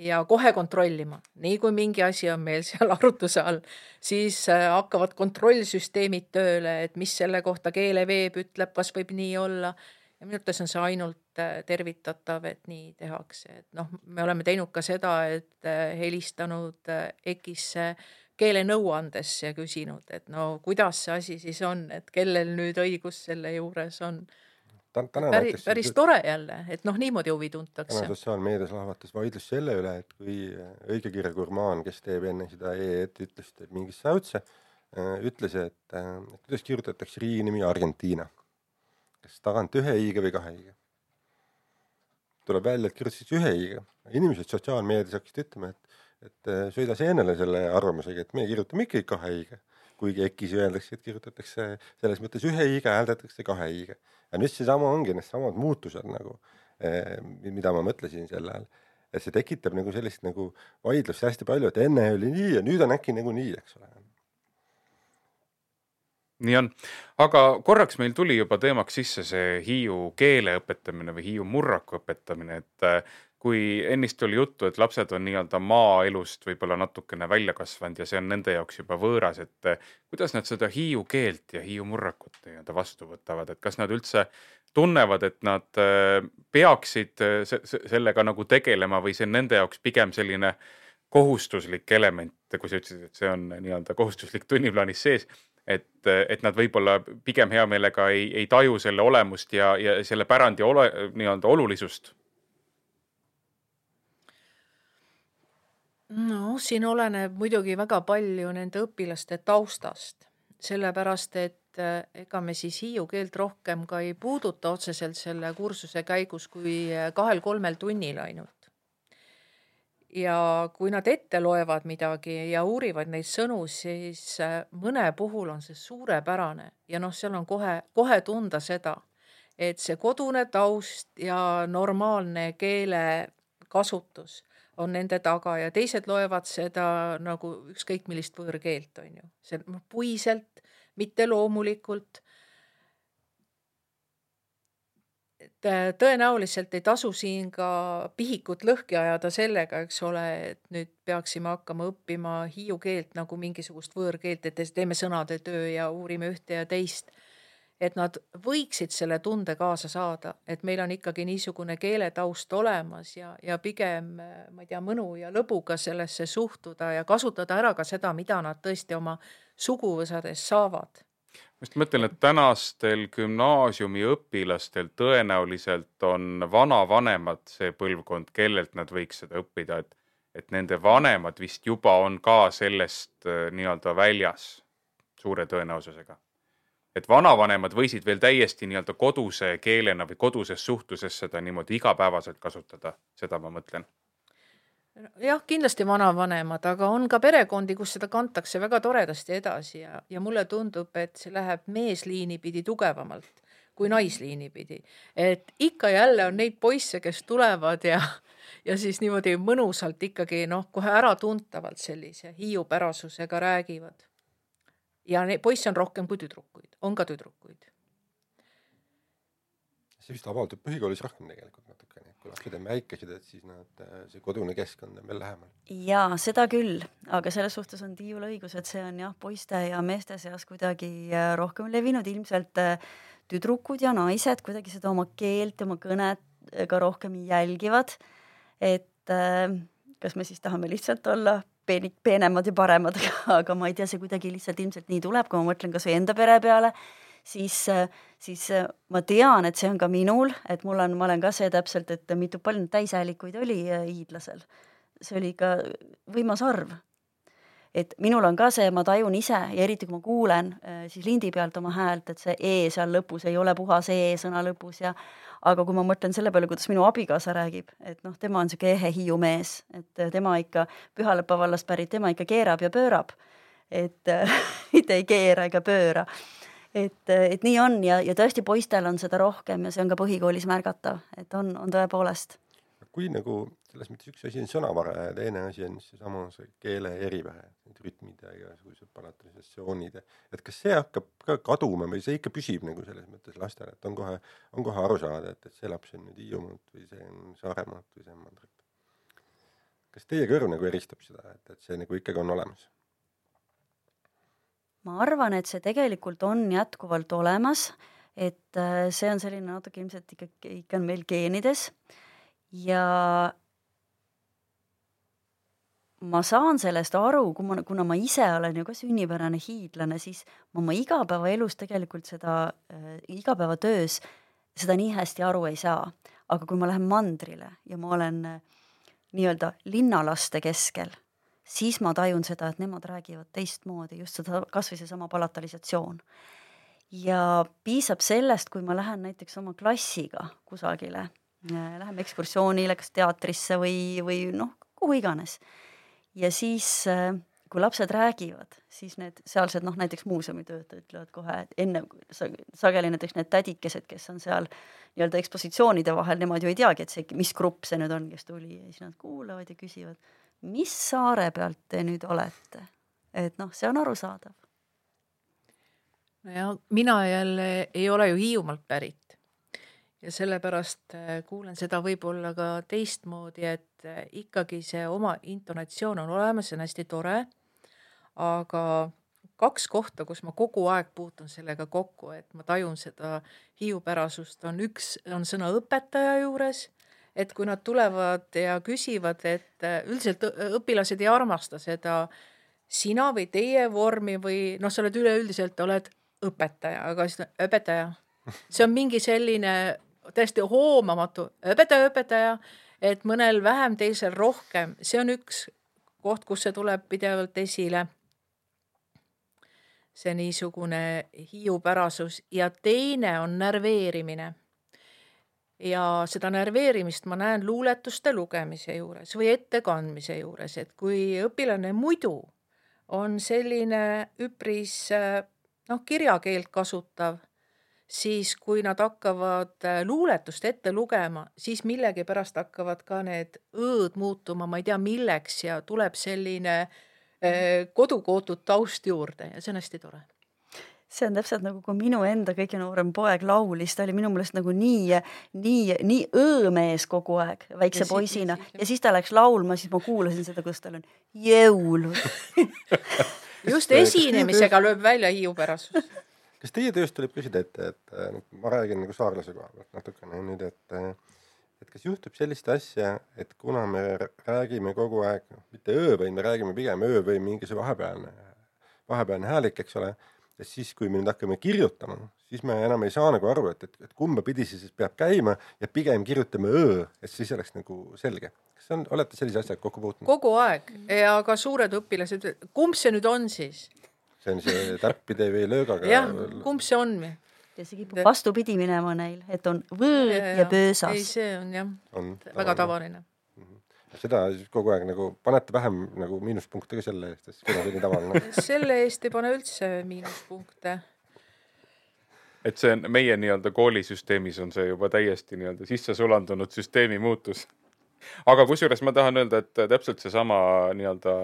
ja kohe kontrollima. Nii kui mingi asi on meil seal arutuse all, siis hakkavad kontrollsüsteemid tööle, et mis selle kohta keeleveeb ütleb, kas võib nii olla. Ja minu arvates on see ainult tervitatav, et nii tehakse. Et noh, me oleme teinud ka seda, et helistanud EKIS-se keele nõuandes ja küsinud, et no kuidas see asi siis on, et kellel nüüd õigus selle juures on. Täna päris, päris tore jälle, et noh, niimoodi huvi tuntakse. Täna sotsiaalmeedias lahvatas vaidlus selle üle, et kui õigekirja gurmaan, kes teeb enne seda E-et, ütles, et mingis säutse, ütles, et, et kuidas kirjutatakse riigi nimi Argentiina. Kas tagant ühe iiga või kahe iiga? Tuleb välja, et kirjutatakse ühe iiga. Inimesed sotsiaalmeedias hakkasid ütlema, et et sööda seenele selle arvamusega, et me kirjutame ikka kahe iiga. Kuigi EKIS öeldakse, et kirjutatakse selles mõttes ühe iiga, hääldatakse kahe iiga. Ja nüüd see sama ongi, need samad muutused, nagu, mida ma mõtlesin selle ajal. Et see tekitab nagu sellist nagu vaidlust hästi palju, et enne oli nii ja nüüd on äkki nagu nii, eks ole. Nii on. Aga korraks meil tuli juba teemaks sisse see Hiiu keele õpetamine või Hiiu murraku õpetamine, et kui ennist oli juttu, et lapsed on nii-öelda maaelust võib-olla natukene välja kasvanud ja see on nende jaoks juba võõras, et kuidas nad seda Hiiu keelt ja Hiiu murrakut nii-öelda vastu võtavad, et kas nad üldse tunnevad, et nad peaksid sellega nagu tegelema või see on nende jaoks pigem selline kohustuslik element, kui sa ütlesid, et see on nii-öelda kohustuslik tunniplaanis sees, et, et nad võib-olla pigem hea meelega ei, ei taju selle olemust ja, ja selle pärandi ole, nii-öelda olulisust? No, siin oleneb muidugi väga palju nende õpilaste taustast, sellepärast, et ega me siis hiiu keelt rohkem ka ei puuduta otseselt selle kursuse käigus kui kahel-kolmel tunnil ainult. Ja kui nad ette loevad midagi ja uurivad neid sõnu, siis mõne puhul on see suurepärane ja noh, seal on kohe, kohe tunda seda, et see kodune taust ja normaalne keele kasutus on nende taga ja teised loevad seda nagu ükskõik millist võõrkeelt, on ju. See puiselt, mitte loomulikult. Et tõenäoliselt ei tasu siin ka pihikut lõhki ajada sellega, eks ole, et nüüd peaksime hakkama õppima hiiu keelt nagu mingisugust võõrkeelt, et teeme sõnade töö ja uurime ühte ja teist. Et nad võiksid selle tunde kaasa saada, et meil on ikkagi niisugune keeletaust olemas ja, ja pigem, ma ei tea, mõnu ja lõbuga sellesse suhtuda ja kasutada ära ka seda, mida nad tõesti oma suguvõsades saavad. Ma just mõtlen, et tänastel gümnaasiumi õpilastel tõenäoliselt on vanavanemad see põlvkond, kellelt nad võiks seda õppida, et, et nende vanemad vist juba on ka sellest nii-öelda väljas suure tõenäosusega. Et vanavanemad võisid veel täiesti nii-öelda koduse keelena või koduses suhtluses seda niimoodi igapäevaselt kasutada, seda ma mõtlen. jah, kindlasti vanavanemad, aga on ka perekondi, kus seda kantakse väga toredasti edasi ja, ja mulle tundub, et see läheb meesliini pidi tugevamalt kui naisliini pidi. Et ikka jälle on neid poisse, kes tulevad ja, ja siis niimoodi mõnusalt ikkagi noh, kohe äratuntavalt sellise hiiupärasusega räägivad. Ja neid poisse on rohkem kui tüdrukuid, on ka tüdrukuid. See vist avaldub põhikoolis rohkem tegelikult natukene. Kui lapsed on väikesed, et siis nad, see kodune keskkond on veel lähemal. Jaa, seda küll, aga selles suhtes on Tiiul õigus, et see on jah, poiste ja meeste seas kuidagi rohkem levinud. Ilmselt tüdrukud ja naised kuidagi seda oma keelt, oma kõnet ka rohkem jälgivad. Et kas me siis tahame lihtsalt olla peenik, peenemad ja paremad, aga ma ei tea, see kuidagi lihtsalt ilmselt nii tuleb, kui ma mõtlen kas või enda pere peale, siis, siis ma tean, et see on ka minul, et mul on, ma olen ka see täpselt, et mitu palju täishäälikuid oli hiidlasel. See oli ikka võimas arv. Et minul on ka see, ma tajun ise ja eriti kui ma kuulen siis lindi pealt oma häält, et see E seal lõpus ei ole puhas E sõna lõpus ja aga kui ma mõtlen selle peale, kuidas minu abikaasa räägib, et noh, tema on siuke ehe Hiiu mees, et tema ikka Pühalepa vallast pärit, tema ikka keerab ja pöörab, et mitte ei keera ega pööra. Et, et nii on ja, ja tõesti poistel on seda rohkem ja see on ka põhikoolis märgatav, et on, on tõepoolest. Kui nagu selles mõttes üks asi on sõnavara ja teine asi on see sama see keele erivähe, need rütmid ja igasugused palatalisatsioonid, et kas see hakkab ka kaduma või see ikka püsib nagu selles mõttes lastel, et on kohe, on kohe aru saada, et, et see laps on nüüd Hiiumaalt või see on Saaremaalt või see on Mandrilt. Kas teie kõrv nagu eristab seda, et, et see nagu ikkagi on olemas? Ma arvan, et see tegelikult on jätkuvalt olemas, et see on selline natuke ilmselt ikka, ikka on meil geenides ja ma saan sellest aru, kui ma, kuna ma ise olen ju ka sünnipärane hiidlane, siis ma oma igapäevaelus tegelikult seda äh, igapäevatöös seda nii hästi aru ei saa. Aga kui ma lähen mandrile ja ma olen äh, nii-öelda linnalaste keskel, siis ma tajun seda, et nemad räägivad teistmoodi, just seda kas või see sama palatalisatsioon. Ja piisab sellest, kui ma lähen näiteks oma klassiga kusagile, läheme ekskursioonile, kas teatrisse või, või noh, kuhu iganes. Ja siis, kui lapsed räägivad, siis need sealsed, noh näiteks muuseumitöötajad ütlevad kohe, et enne sageli näiteks need tädikesed, kes on seal nii-öelda ekspositsioonide vahel, nemad ju ei teagi, et see, mis grupp see nüüd on, kes tuli ja siis nad kuulavad ja küsivad, mis saare pealt te nüüd olete? Et noh, see on arusaadav. No ja mina jälle ei ole ju Hiiumaalt pärit ja sellepärast kuulen seda võib-olla ka teistmoodi, et ikkagi see oma intonatsioon on olemas, see on hästi tore, aga kaks kohta, kus ma kogu aeg puutun sellega kokku, et ma tajun seda hiiupärasust, on üks on sõna õpetaja juures, et kui nad tulevad ja küsivad, et üldiselt õpilased ei armasta seda sina või teie vormi või noh, sa oled üleüldiselt, oled õpetaja, aga siis õpetaja. See on mingi selline täiesti hoomamatu õpetaja, õpetaja, et mõnel vähem, teisel rohkem. See on üks koht, kus see tuleb pidevalt esile. See niisugune hiiupärasus ja teine on närveerimine. Ja seda närveerimist ma näen luuletuste lugemise juures või ettekandmise juures, et kui õpilane muidu on selline üpris noh, kirjakeelt kasutav, siis kui nad hakkavad luuletust ette lugema, siis millegi pärast hakkavad ka need õõd muutuma, ma ei tea milleks ja tuleb selline eh, kodukootud taust juurde ja see on hästi tore. See on täpselt nagu, kui minu enda kõige noorem poeg laulis, ta oli minu meelest nagu nii, nii, nii õõmees kogu aeg väikse ja poisina siis, ja siis ta läks laulma, siis ma kuulasin seda, kus tal on jõul. Just esinemisega lööb välja hiiupärasus. Kas teie tööst tuleb küsida, et, et ma räägin nagu saarlase koha pealt natukene nüüd, et, et kas juhtub sellist asja, et kuna me räägime kogu aeg, mitte öö või me räägime pigem öö või mingi see vahepealne, vahepealne häälik, eks ole, ja siis, kui me nüüd hakkame kirjutama, siis me enam ei saa nagu aru, et, et, et kumba pidi siis peab käima ja pigem kirjutame öö, et siis oleks nagu selge. Kas on, olete sellise asjad kokku puutunud? Kogu aeg ja ka suured õpilased, kumb see nüüd on siis? See on see täppide või löögaga. Jah, kumb see on? Ja see kipub vastupidi minema neil, et on võõ ja, ja pöösas. Ei, see on jah, on väga tavaline. seda kogu aeg nagu panete vähem nagu miinuspunkte ka selle eest, et see on nii tavaline. Selle eest ei pane üldse miinuspunkte. Et see on meie nii-öelda koolisüsteemis on see juba täiesti nii-öelda sisse sulandunud süsteemi muutus. Aga kusjuures ma tahan öelda, et täpselt see sama nii-öelda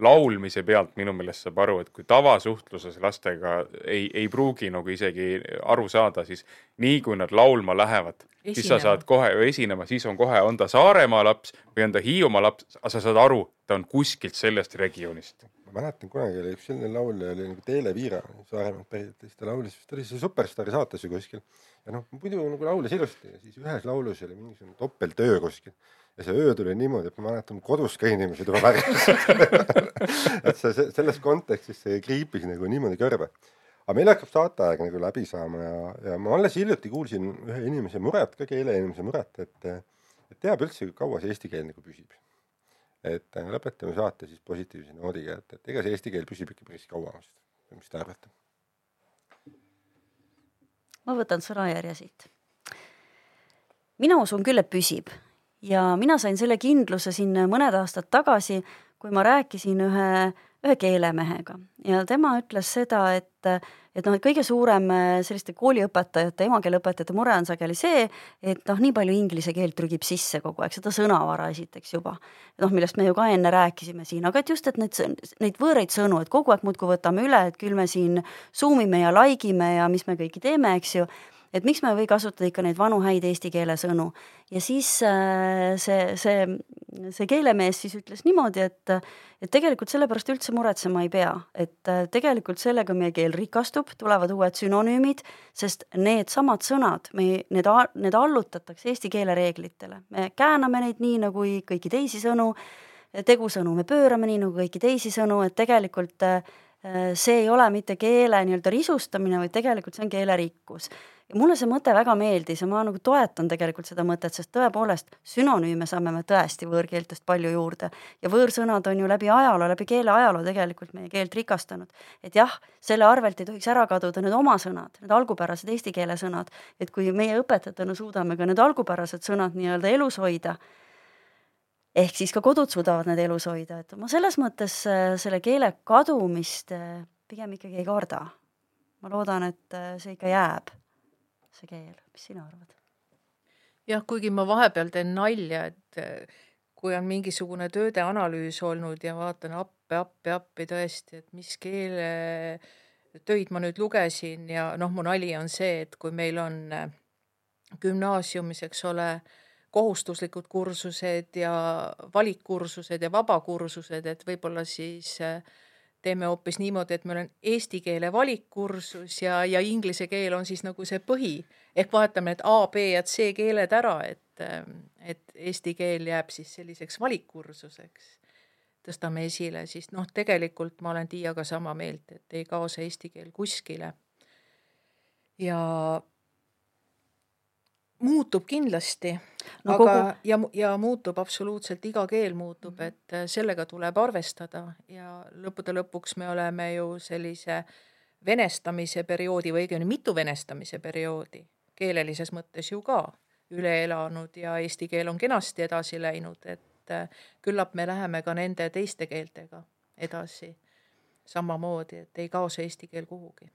laulmise pealt minu meelest saab aru, et kui tavasuhtluses lastega ei, ei pruugi nagu isegi aru saada, siis nii kui nad laulma lähevad, esinema. Siis sa saad kohe esinema, siis on kohe, on ta Saaremaa laps või on ta Hiiumaa laps, aga sa saad aru, ta on kuskilt sellest regioonist. Ma mäletan, kunagi oli üks selline laulja, oli nagu Teele Viira, Saaremaalt pärit, siis ta laulis, ta oli see Superstaari saates ju kuskil. Ja noh, muidu nagu laulis ilusti ja siis ühes laulus oli mingisugune topeltöö kuskil. Ja see öö tuli niimoodi, et ma mäletan, kodus ka inimesed juba värgis. et see, selles kontekstis see kriipis nagu niimoodi kõrve. Aga meil hakkab saateaeg nagu läbi saama ja, ja ma alles hiljuti kuulsin ühe inimese muret, ka keele inimese muret, et, et teab üldse, kaua see eesti keel nagu püsib. Et lõpetame saate siis positiivse noodiga, et, et ega see eesti keel püsib ikka päris kaua. Mis te arvate? Ma võtan sõnajärje siit. Mina usun küll, et püsib. Ja mina sain selle kindluse siin mõned aastad tagasi, kui ma rääkisin ühe, ühe keelemehega. Ja tema ütles seda, et, et noh, et kõige suurem selliste kooliõpetajate, emakeeleõpetajate mure on sageli see, et noh, nii palju inglise keelt trügib sisse kogu aeg, seda sõnavara esiteks juba. Noh, millest me ju ka enne rääkisime siin, aga et just, et neid, neid võõreid sõnu, et kogu aeg muudkui võtame üle, et küll me siin zoomime ja laigime ja mis me kõiki teeme, eks ju. Et miks me või kasutada ikka neid vanu häid eesti keele sõnu. Ja siis see, see, see keelemees siis ütles niimoodi, et, et tegelikult sellepärast üldse muretsema ei pea. Et tegelikult sellega meie keel rikastub, tulevad uued sünonüümid, sest need samad sõnad, me, need, need allutatakse eesti keele reeglitele. Me kääname neid nii nagu kõiki teisi sõnu, tegusõnu me pöörame nii nagu kõiki teisi sõnu, et tegelikult see ei ole mitte keele nii-öelda risustamine, vaid tegelikult see on keele rikkus. Ja mulle see mõte väga meeldis ja ma nagu toetan tegelikult seda mõtet, sest tõepoolest sünonüüme saame me tõesti võõrkeeltest palju juurde ja võõrsõnad on ju läbi ajaloo, läbi keele ajaloo tegelikult meie keelt rikastanud. Et jah, selle arvelt ei tohiks ära kaduda need oma sõnad, need algupärased eesti keele sõnad, et kui meie õpetajatena suudame ka need algupärased sõnad nii-öelda elus hoida, ehk siis ka kodud suudavad need elus hoida, et ma selles mõttes selle keele kadumist pigem ikkagi ei karda. Ma loodan, et see ikka jääb. See keel, mis sina arvad? Jah, kuigi ma vahepeal teen nalja, et kui on mingisugune tööde analüüs olnud ja vaatan appi, appi, appi tõesti, et mis keele töid ma nüüd lugesin ja noh, mu nali on see, et kui meil on gümnaasiumis, eks ole, kohustuslikud kursused ja valikkursused ja vabakursused, et võib-olla siis teeme hoopis niimoodi, et meil on eesti keele valikkursus ja, ja inglise keel on siis nagu see põhi. Ehk vaatame, et A, B ja C keeled ära, et, et eesti keel jääb siis selliseks valikkursuseks. Tõstame esile, siis noh, tegelikult ma olen Tiiaga sama meelt, et ei kao see eesti keel kuskile. Ja muutub kindlasti, no, aga kogu... ja, ja muutub absoluutselt, iga keel muutub, et sellega tuleb arvestada ja lõppude lõpuks me oleme ju sellise venestamise perioodi või õigemini mitu venestamise perioodi, keelelises mõttes ju ka üle elanud ja eesti keel on kenasti edasi läinud, et küllap me läheme ka nende teiste keeltega edasi samamoodi, et ei kao see eesti keel kuhugi.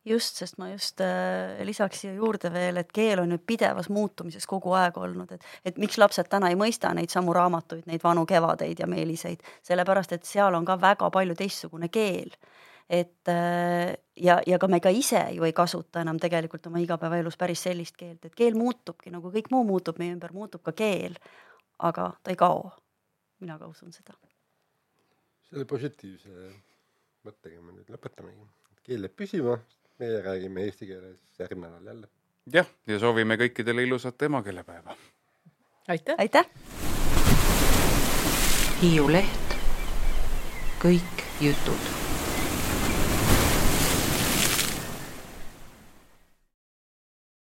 Just, sest ma just äh, lisaks siia juurde veel, et keel on nüüd pidevas muutumises kogu aeg olnud, et, et miks lapsed täna ei mõista neid samu raamatuid, neid vanu kevadeid ja meeliseid, sellepärast, et seal on ka väga palju teistsugune keel. Et äh, ja, ja ka me ka ise ju ei kasuta enam tegelikult oma igapäevaelus päris sellist keelt, et keel muutubki, nagu kõik muu muutub meie ümber, muutub ka keel, aga ta ei kao. Mina ka usun seda. Selle positiivse mõttega me nüüd lõpetamegi. Keel jääb püsima. Meie räägime eesti keeles järgmine nädal jälle. Jah, ja soovime kõikidele ilusat emakeelepäeva. Aitäh! Aitäh! Hiiu Leht. Kõik jutud.